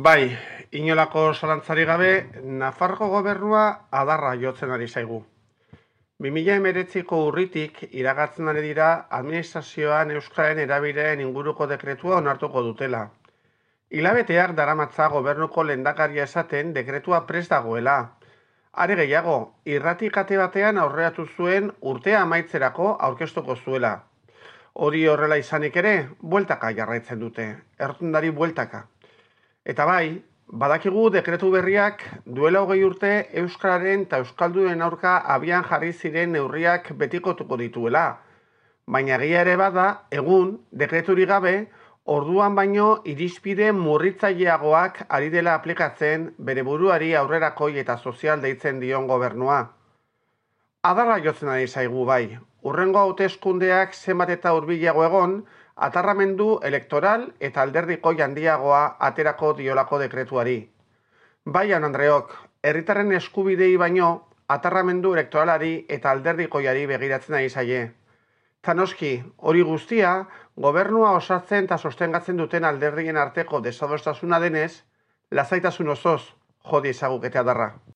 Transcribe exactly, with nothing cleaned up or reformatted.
Bai, inolako zalantzari gabe, Nafarroko gobernua adarra jotzen ari zaigu. bi mila hemeretziko urritik iragatzen ari dira administrazioan euskararen erabileraren inguruko dekretua onartuko dutela. Hilabeteak daramatza gobernuko lehendakaria esaten dekretua prest dagoela. Are gehiago, irrati kate batean aurreatu zuen urtea amaitzerako aurkeztuko zuela. Hori horrela izanik ere, bueltaka jarraitzen dute, errotundari bueltaka. Eta bai, badakigu dekretu berriak duela hogei urte euskararen eta euskaldunen aurka abian jarri ziren neurriak betikotuko dituela. Baina egia ere bada, egun, dekreturi gabe, orduan baino irizpide murritzaileagoak ari dela aplikatzen bere buruari aurrerakoi eta sozial deitzen dion gobernua. Adarra jotzen ari zaigu bai, hurrengo hauteskundeak zenbat eta hurbilago egon, atarramendu elektoral eta alderdiko handiagoa aterako diolako dekretuari. Bai, jaun Andreok, herritarren eskubidei baino atarramendu elektoralari eta alderdikoiari begiratzen ari zaie. Zanoski, hori guztia, gobernua osatzen eta sostengatzen duten alderdien arteko desadostasuna denez, lasaitasun osoz jo diezagukete adarra.